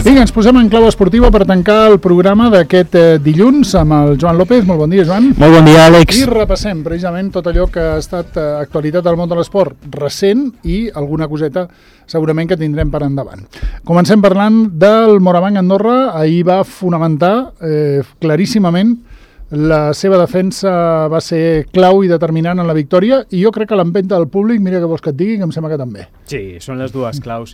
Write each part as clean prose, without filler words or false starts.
Vinga, ens posem en clau esportiva per tancar el programa d'aquest dilluns amb el Joan López. Molt bon dia, Joan. Molt bon dia, Àlex. I repassem precisament tot allò que ha estat actualitat del món de l'esport recent i alguna coseta segurament que tindrem per endavant. Comencem parlant del Morabanc Andorra. Ahir va fonamentar claríssimament la seva defensa, va ser clau i determinant en la victòria, i jo crec que l'empenta del públic, mira què vols que et digui, que em sembla que també. Sí, són les dues claus.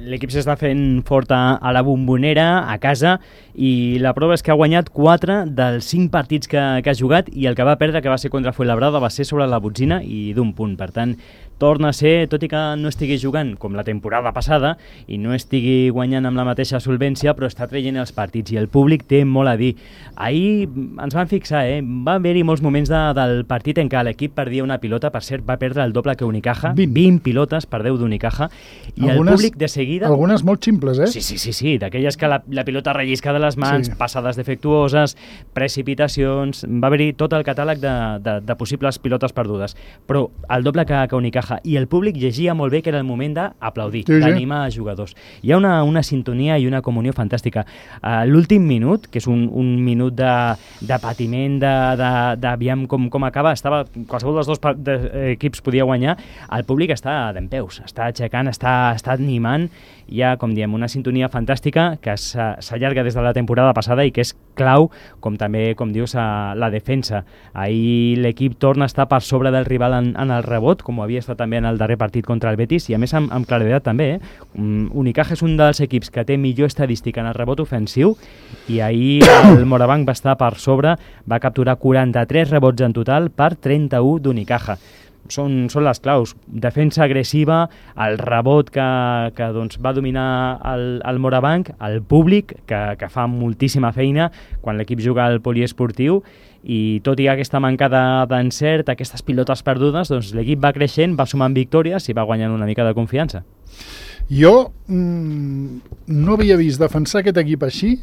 L'equip s'està fent fort a la Bombonera, a casa, i la prova és que ha guanyat 4 dels 5 partits que ha jugat, i el que va perdre, que va ser contra Fuenlabrada, va ser sobre la Botzina i d'un punt. Per tant, torna a ser, tot i que no estigui jugant com la temporada passada i no estigui guanyant amb la mateixa solvència, però està traient els partits i el públic té molt a dir. Ahir ens van fixar, va haver-hi molts moments del partit en què l'equip perdia una pilota, per cert, va perdre el doble que Unicaja, 20 pilotes per 10 d'Unicaja, i el públic de seguida... Algunes molt ximples, Sí, d'aquelles que la pilota rellisca de les mans, passades defectuoses, precipitacions, va haver-hi tot el catàleg de possibles pilotes perdudes, però el doble que Unicaja, i el públic llegia molt bé que era el moment d'aplaudir, d'animar a jugadors. Hi ha una sintonia i una comunió fantàstica. L'últim minut, que és un minut de patiment, d'aviam com acaba, qualsevol dels dos equips podia guanyar, el públic està dempeus, està aixecant, està animant. Hi ha, com diem, una sintonia fantàstica que s'allarga des de la temporada passada i que és clau, com també, com dius, la defensa. Ahir l'equip torna a estar per sobre del rival en el rebot, com ho havia estat també en el darrer partit contra el Betis, i a més amb claredat també. Unicaja és un dels equips que té millor estadística en el rebot ofensiu, i ahir el Morabanc va estar per sobre, va capturar 43 rebots en total per 31 d'Unicaja. Són les claus. Defensa agressiva, el rebot que doncs, va dominar el Morabanc, el públic que fa moltíssima feina quan l'equip juga al poliesportiu, i tot i aquesta manca d'encert, aquestes pilotes perdudes, doncs l'equip va creixent, va sumant victòries i va guanyant una mica de confiança. Jo no havia vist defensar aquest equip així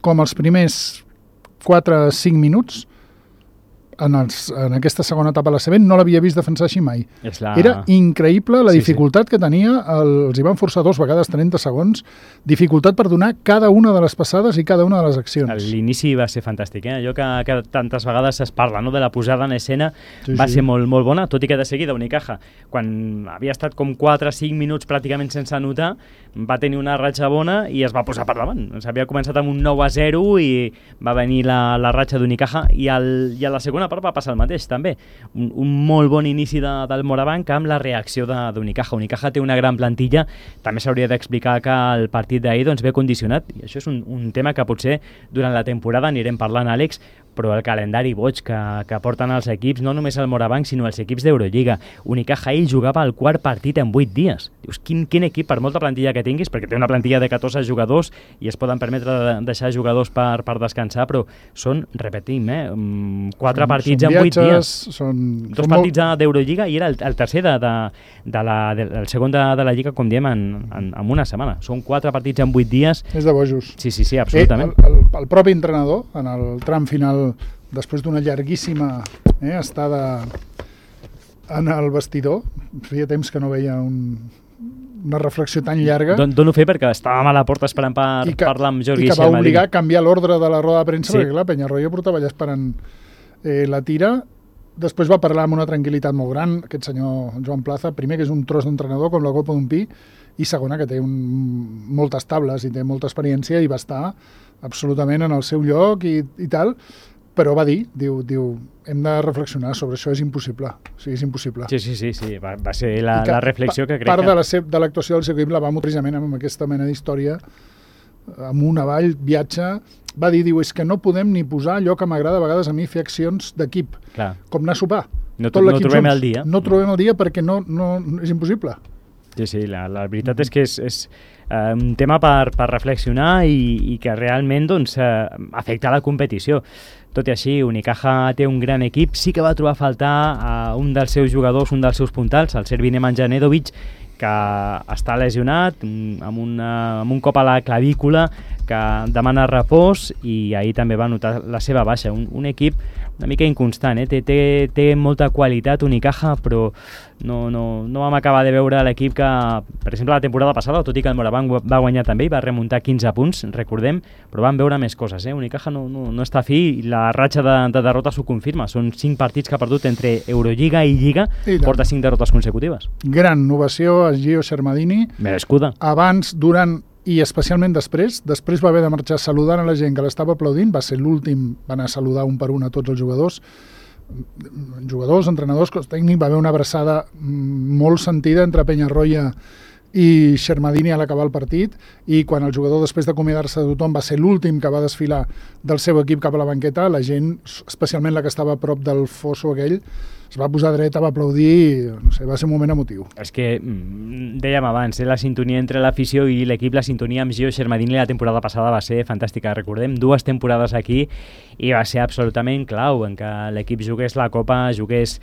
com els primers 4-5 minuts en aquesta segona etapa de la CB, no l'havia vist defensar així mai. Era increïble la dificultat que tenia, els hi van forçar 2 vegades 30 segons, dificultat per donar cada una de les passades i cada una de les accions. L'inici va ser fantàstic, allò que tantes vegades es parla, no? De la posada en escena, va ser molt, molt bona, tot i que de seguida Unicaja, quan havia estat com 4-5 minuts pràcticament sense anotar, va tenir una ratxa bona i es va posar per davant. S'havia començat amb un 9-0 i va venir la ratxa d'Unicaja, i a la segona part va passar el mateix també, un molt bon inici del Morabanc amb la reacció d'Unicaja. Unicaja té una gran plantilla, també s'hauria d'explicar que el partit d'ahir doncs, ve condicionat, i això és un tema que potser durant la temporada anirem parlant, Àlex, però el calendari boig que porten els equips, no només el Morabanc, sinó els equips d'Eurolliga. Unicaja ell jugava el 4 partit en 8 dies. Dius, quin equip, per molta plantilla que tinguis, perquè té una plantilla de 14 jugadors i es poden permetre deixar jugadors per descansar, però són, repetim, 4 partits en 8 dies. 2 partits d'Eurolliga i era el tercer el segon de la Lliga, com diem, en una setmana. Són 4 partits en 8 dies. És de bojos. Sí, absolutament. El propi entrenador, en el tram final, després d'una llarguíssima estada en el vestidor, feia temps que no veia una reflexió tan llarga. Dono fe perquè estàvem a la porta esperant per parlar amb Jordi Xamadí. I que va obligar a canviar l'ordre de la roda de premsa, perquè clar, Peñarroya portava allà esperant la tira. Després va parlar amb una tranquil·litat molt gran, aquest senyor Joan Plaza, primer que és un tros d'entrenador com la copa d'un pi, i segona que té moltes tables i té molta experiència i va estar absolutament en el seu lloc i tal, però va dir, diu, hem de reflexionar sobre això, és impossible. O sigui, és impossible. Sí, va ser la reflexió que crec part de l'actuació del seu equip la va precisament amb aquesta mena d'història, amunt, avall, viatge. Va dir, és que no podem ni posar allò que m'agrada a vegades a mi fer accions d'equip, com anar a sopar. No trobem el dia. No trobem el dia perquè no és impossible. Sí, la veritat és que és un tema per reflexionar i que realment doncs, afecta la competició. Tot i així, Unicaja té un gran equip, sí que va trobar a faltar un dels seus jugadors, un dels seus puntals, el serbi Nemanja Nedovic, que està lesionat amb un cop a la clavícula, que demana repòs, i ahir també va notar la seva baixa. Un equip una mica inconstant, té molta qualitat Unicaja, però no vam acabar de veure l'equip que, per exemple, la temporada passada, tot i que el Moraván va guanyar també i va remuntar 15 punts, recordem, però vam veure més coses. Unicaja no està fi, i la ratxa de derrotes ho confirma. Són 5 partits que ha perdut entre Eurolliga i Lliga, porta 5 derrotes consecutives. Gran novació a Gio Shermadini. Merescuda. Abans, durant i especialment després va haver de marxar saludant a la gent que l'estava aplaudint, va ser l'últim, va anar a saludar un per un a tots els jugadors, entrenadors, cos tècnic, va haver una abraçada molt sentida entre Peñarroya i Shermadini a l'acabar el partit, i quan el jugador, després d'acomiadar-se de tothom, va ser l'últim que va desfilar del seu equip cap a la banqueta, la gent, especialment la que estava a prop del fosso aquell, es va posar dreta, va aplaudir, no sé, va ser un moment emotiu. És que, dèiem abans, la sintonia entre l'afició i l'equip, la sintonia amb Gio Shermadini la temporada passada va ser fantàstica. Recordem 2 temporades aquí i va ser absolutament clau en què l'equip jugués la Copa, jugués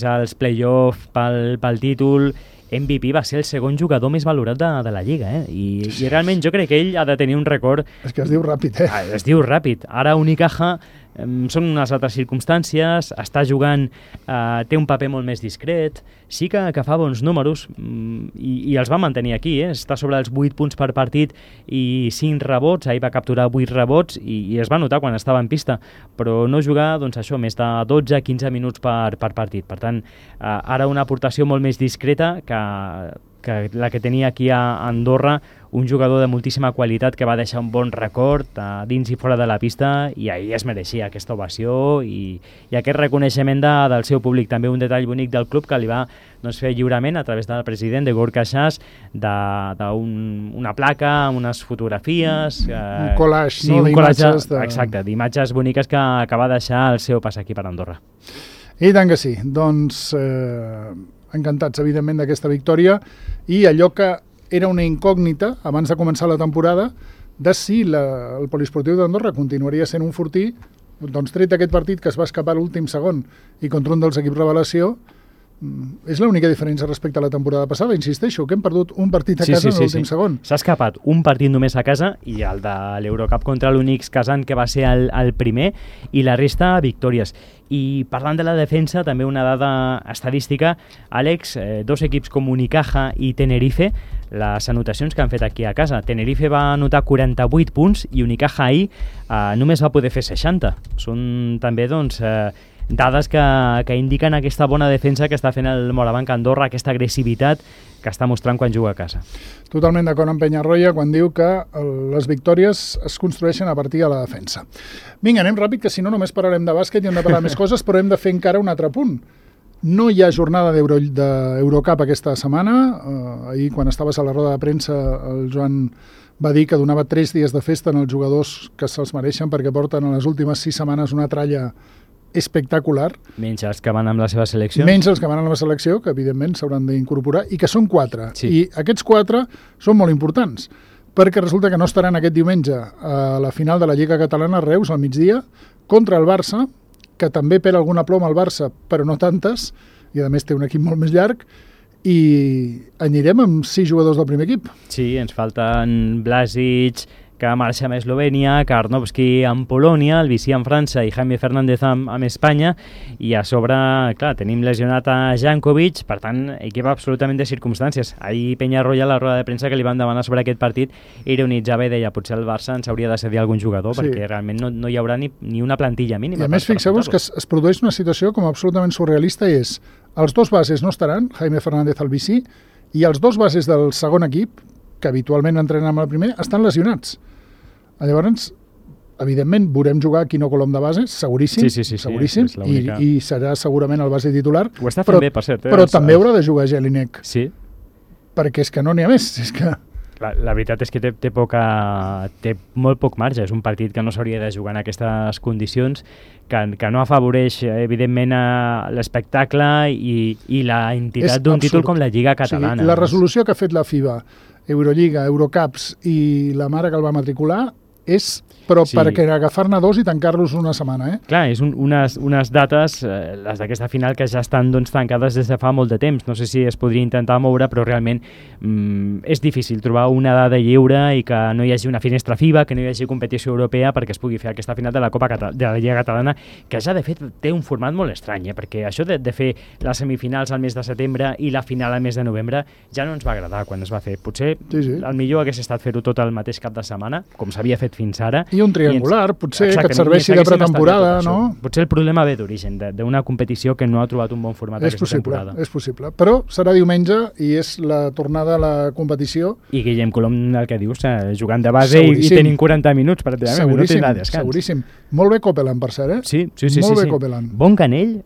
als play-off pel títol. MVP va ser el segon jugador més valorat de la Lliga, I realment jo crec que ell ha de tenir un record... És que es diu ràpid, Es diu ràpid. Ara Unicaja són unes altres circumstàncies, està jugant, té un paper molt més discret, sí que fa bons números i els va mantenir aquí, està sobre els 8 punts per partit i 5 rebots, ahir va capturar 8 rebots i es va notar quan estava en pista, però no jugar, doncs això, més de 12-15 minuts per partit. Per tant, ara una aportació molt més discreta que la que tenia aquí a Andorra, un jugador de moltíssima qualitat que va deixar un bon record dins i fora de la pista, i ahir es mereixia aquesta ovació i aquest reconeixement del seu públic. També un detall bonic del club que li va fer lliurament a través del president de Gorka Shas d'una placa amb unes fotografies, un collage, d'imatges, exacte, d'imatges boniques que va deixar el seu pas aquí per Andorra. I tant que sí, doncs encantats evidentment d'aquesta victòria, i allò que era una incògnita abans de començar la temporada de si el poliesportiu d'Andorra continuaria sent un fortí, doncs tret d'aquest partit que es va escapar l'últim segon i contra un dels equips revelació, és l'única diferència respecte a la temporada passada, insisteixo, que hem perdut un partit a casa en l'últim segon. S'ha escapat un partit només a casa, i el de l'Eurocup contra l'Unix Kazan, que va ser el primer, i la resta victòries. I parlant de la defensa, també una dada estadística, Àlex, 2 equips com Unicaja i Tenerife, les anotacions que han fet aquí a casa. Tenerife va anotar 48 punts i Unicaja ahir només va poder fer 60. Són també, doncs, dades que indiquen aquesta bona defensa que està fent el Moraván Andorra, aquesta agressivitat que està mostrant quan juga a casa. Totalment d'acord amb Peñarroya quan diu que les victòries es construeixen a partir de la defensa. Vinga, anem ràpid, que si no només parlarem de bàsquet i hem de parlar més coses, però hem de fer encara un altre punt. No hi ha jornada d'Eurocup aquesta setmana. Ahir, quan estaves a la roda de premsa, el Joan va dir que donava 3 dies de festa en els jugadors que se'ls mereixen, perquè porten en les últimes 6 setmanes una tralla espectacular. Menys els que van amb la seva selecció. Menys els que van amb la selecció, que evidentment s'hauran d'incorporar, i que són 4. Sí. I aquests 4 són molt importants, perquè resulta que no estaran aquest diumenge a la final de la Lliga Catalana a Reus, al migdia, contra el Barça, que també perd alguna ploma al Barça, però no tantes, i a més té un equip molt més llarg, i anirem amb 6 jugadors del primer equip. Sí, ens falten Blasic, que marxa amb Eslovènia, Karnovski amb Polònia, el Vichy amb França i Jaime Fernández amb Espanya, i a sobre, clar, tenim lesionat a Jankovic, per tant, equip absolutament de circumstàncies. Ahir Peñarroya, a la roda de premsa que li van demanar sobre aquest partit, ironitzava i deia, potser el Barça ens hauria de cedir algun jugador, perquè realment no hi haurà ni una plantilla mínima. I a més, fixeu-vos que es produeix una situació com absolutament surrealista, i és, els 2 bases no estaran, Jaime Fernández al Vichy, i els 2 bases del segon equip, que habitualment entrenen amb el primer, estan lesionats. Llavors, evidentment, veurem jugar Quino Colom de base, seguríssim, seguríssim, i serà segurament el base titular. Ho està fent bé, per cert. Però també haurà de jugar Jelinek. Sí. Perquè és que no n'hi ha més. És que... La veritat és que té molt poc marge. És un partit que no s'hauria de jugar en aquestes condicions, que no afavoreix, evidentment, l'espectacle i la entitat d'un títol com la Lliga Catalana. O sigui, la resolució que ha fet la FIBA, Eurolliga, Eurocups i la mare que el va matricular, és però perquè agafar-ne 2 i tancar-los una setmana, Clar, és unes dates, les d'aquesta final, que ja estan tancades des de fa molt de temps. No sé si es podria intentar moure, però realment és difícil trobar una dada lliure i que no hi hagi una finestra FIBA, que no hi hagi competició europea perquè es pugui fer aquesta final de la Lliga Catalana, que ja de fet té un format molt estrany, perquè això de fer les semifinals al mes de setembre i la final al mes de novembre ja no ens va agradar quan es va fer. Potser el millor hagués estat fer-ho tot el mateix cap de setmana, com s'havia fet fins ara. I un triangular, potser, que et serveixi de pretemporada, no? Potser el problema ve d'origen, d'una competició que no ha trobat un bon format aquesta temporada. És possible, però serà diumenge i és la tornada a la competició. I Guillem Colom, el que dius, jugant de base i tenint 40 minuts, pràcticament, no tindrà descans. Seguríssim. Molt bé Copeland, per cert, Sí. Molt bé Copeland. Bon canell,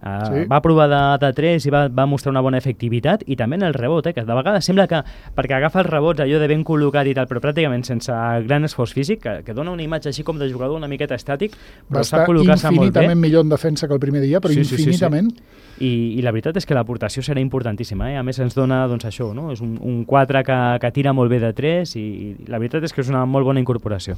va provar de 3 i va mostrar una bona efectivitat, i també en el rebot, que de vegades sembla que, perquè agafa els rebots allò de ben col·locat i tal, però pràcticament sense gran esforç físic, que dona una imatge així com de jugador una miqueta estàtic, però sap col·locar-se molt bé. Va estar infinitament millor en defensa que el primer dia, però infinitament. I la veritat és que l'aportació serà importantíssima, A més ens dona, això, no? És un 4 que tira molt bé de 3 i la veritat és que és una molt bona incorporació.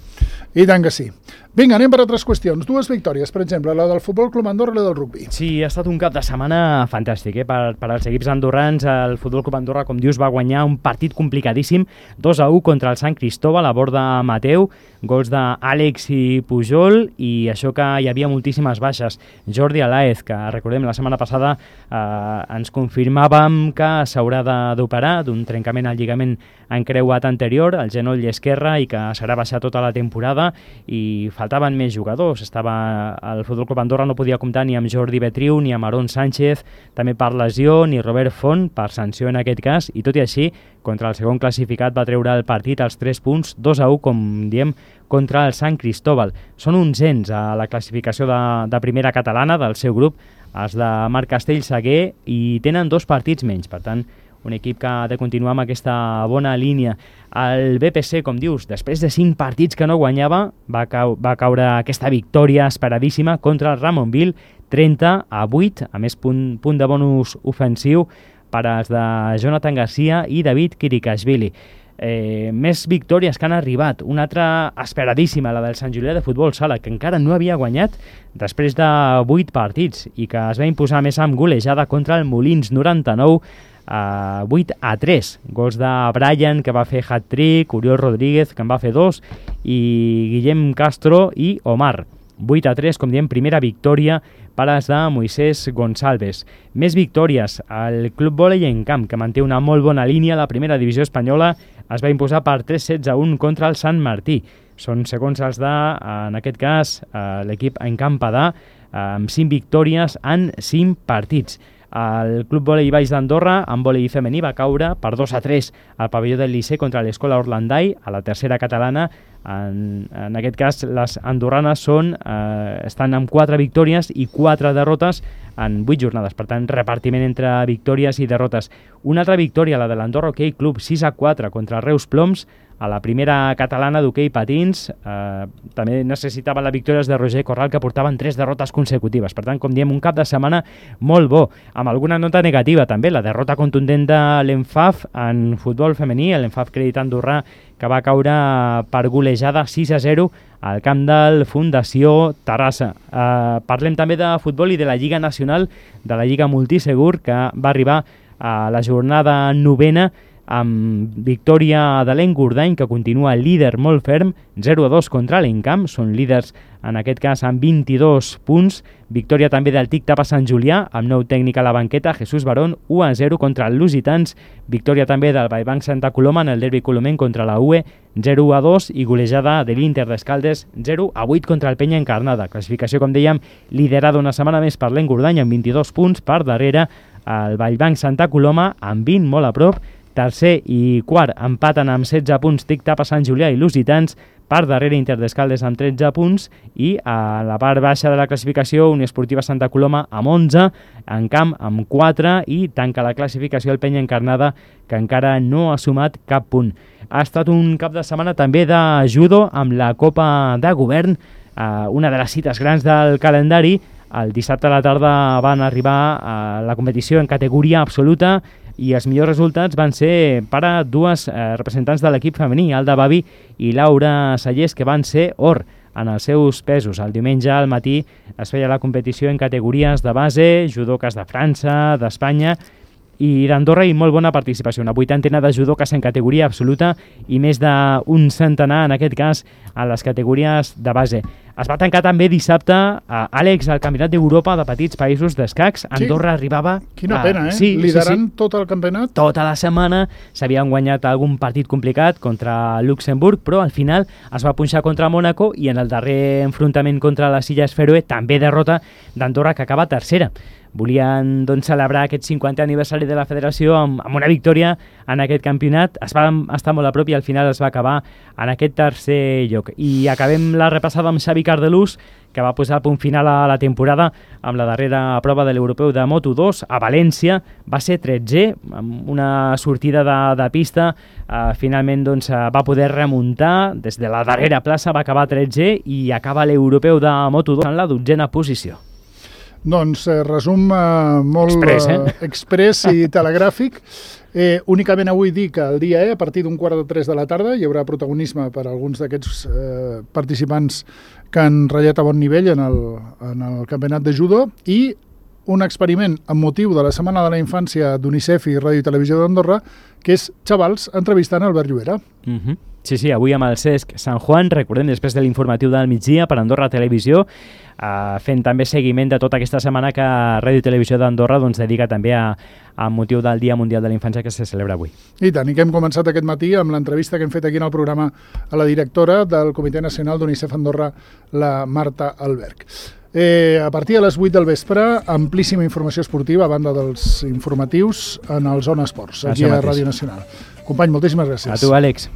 I tant que sí. Vinga, anem per altres qüestions. 2 victòries, per exemple, la del Futbol Club Andorra i la del rugbi. Sí, ha estat un cap de setmana fantàstic, per als equips andorrans. El Futbol Club Andorra, com dius, va guanyar un partit complicadíssim, 2-1 contra el Sant Cristóbal, a bord de Mateu, gols d'Àlex i Pujol, i això que hi havia moltíssimes baixes. Jordi Alaez, que recordem la setmana passada ens confirmàvem que s'haurà d'operar d'un trencament al lligament encreuat anterior, al genoll esquerre, i que serà baixar tota la temporada, i faltaven més jugadors. El Futbol Club Andorra no podia comptar ni amb Jordi Betriu ni amb Aarón Sánchez, també per lesió, ni Robert Font per sanció en aquest cas, i tot i així, contra el segon classificat va treure el partit als 3 punts, 2-1, com diem, contra el Sant Cristóbal. Són 11 a la classificació de primera catalana del seu grup, els de Marc Castell-Seguer, i tenen 2 partits menys, per tant, un equip que ha de continuar amb aquesta bona línia. El BPC, com dius, després de 5 partits que no guanyava, va caure aquesta victòria esperadíssima contra el Ramonville, 30-8, a més punt de bonus ofensiu per als de Jonathan Garcia i David Kirikashvili. Més victòries que han arribat, una altra esperadíssima, la del Sant Julià de Futbol Sala, que encara no havia guanyat després de 8 partits i que es va imposar més amb golejada contra el Molins, 99 8-3, gols de Brian, que va fer hat-trick, Oriol Rodríguez, que en va fer 2, i Guillem Castro i Omar. 8-3, com diem, primera victòria per als de Moisés Gonçalves. Més victòries, el Club Vòlei en Camp, que manté una molt bona línia a la primera divisió espanyola, es va imposar per 3-16-1 contra el Sant Martí. Són segons els en aquest cas, l'equip en Campadà, amb 5 victòries en 5 partits. El Club Vòlei Baix d'Andorra, amb vòlei femení, va caure per 2-3 al pavelló del Liceu contra l'Escola Orlandai, a la tercera catalana. En aquest cas, les andorranes estan amb 4 victòries i 4 derrotes en 8 jornades. Per tant, repartiment entre victòries i derrotes. Una altra victòria, la de l'Andorra Hockey Club, 6-4 contra el Reus Ploms, a la primera catalana d'hoquei patins. També necessitaven la victòria de Roger Corral, que portaven 3 derrotes consecutives. Per tant, com diem, un cap de setmana molt bo, amb alguna nota negativa també, la derrota contundent de l'ENFAF en futbol femení, l'ENFAF Crèdit Andorrà, que va caure per golejada 6-0 al camp del Fundació Terrassa. Parlem també de futbol i de la Lliga Nacional, de la Lliga Multisegur, que va arribar a la jornada 9ª amb victòria de l'Engordany, que continua líder molt ferm, 0-2 contra l'Encamp, són líders en aquest cas amb 22 punts. Victòria també del TIC Tapa Sant Julià, amb nou tècnic a la banqueta, Jesús Barón, 1-0 contra el Lusitans. Victòria també del Vallbanc Santa Coloma en el derbi colomenc contra la UE, 0-2, i golejada de l'Inter d'Escaldes, 0-8 contra el Penya Encarnada. Classificació, com dèiem, liderada una setmana més per l'Engordany amb 22 punts, per darrere el Vallbanc Santa Coloma amb 20, molt a prop. Tercer i quart empaten amb 16 punts TIC Tapa Sant Julià i Lusitans, per darrere Inter d'Escaldes amb 13 punts, i a la part baixa de la classificació Unió Esportiva Santa Coloma amb 11, en camp amb 4, i tanca la classificació el Penya Encarnada, que encara no ha sumat cap punt. Ha estat un cap de setmana també de judo amb la Copa de Govern, una de les cites grans del calendari. El dissabte a la tarda van arribar a la competició en categoria absoluta, i els millors resultats van ser per a 2 representants de l'equip femení, Alda Bavi i Laura Sallés, que van ser or. en els seus pesos. El diumenge al matí es feia la competició en categories de base, judoques de França, d'Espanya i d'Andorra, i molt bona participació. Una 80ena de judoques en categoria absoluta i més d'un centenar, en aquest cas, a les categories de base. Es va tancar també dissabte, Àlex, el Campionat d'Europa de petits països d'escacs. Andorra arribava... Quina pena, Sí, liderant tot el campionat. Tota la setmana s'havien guanyat algun partit complicat contra Luxemburg, però al final es va punxar contra Mònaco i en el darrer enfrontament contra les Illes Fèroe també derrota d'Andorra, que acaba tercera. Volien celebrar aquest 50è aniversari de la federació amb una victòria en aquest campionat. Es va estar molt a prop i al final es va acabar en aquest tercer lloc. I acabem la repassada amb Xavi Cardelús, que va posar el punt final a la temporada amb la darrera prova de l'Europeu de Moto2 a València. Va ser 13è, amb una sortida de pista. Finalment va poder remuntar des de la darrera plaça, va acabar 13è i acaba l'Europeu de Moto2 en la 12a posició. Doncs resum molt express i telegràfic. Únicament avui dic que el dia a partir d'un 2:45 de la tarda hi haurà protagonisme per a alguns d'aquests participants que han ratllat a bon nivell en el campionat de judo, i un experiment amb motiu de la Setmana de la Infància d'UNICEF i Ràdio i Televisió d'Andorra, que és xavals entrevistant Albert Llobera. Sí, avui amb el Cesc Sant Juan, recordem, després de l'informatiu del migdia per Andorra Televisió, fent també seguiment de tota aquesta setmana que Ràdio i Televisió d'Andorra dedica també a motiu del Dia Mundial de la Infància que se celebra avui. I tant, i que hem començat aquest matí amb l'entrevista que hem fet aquí en el programa a la directora del Comitè Nacional d'UNICEF Andorra, la Marta Alberg. A partir de les 8 del vespre, amplíssima informació esportiva a banda dels informatius en el Zona Esports, aquí a Ràdio Nacional. Company, moltíssimes gràcies. A tu, Àlex.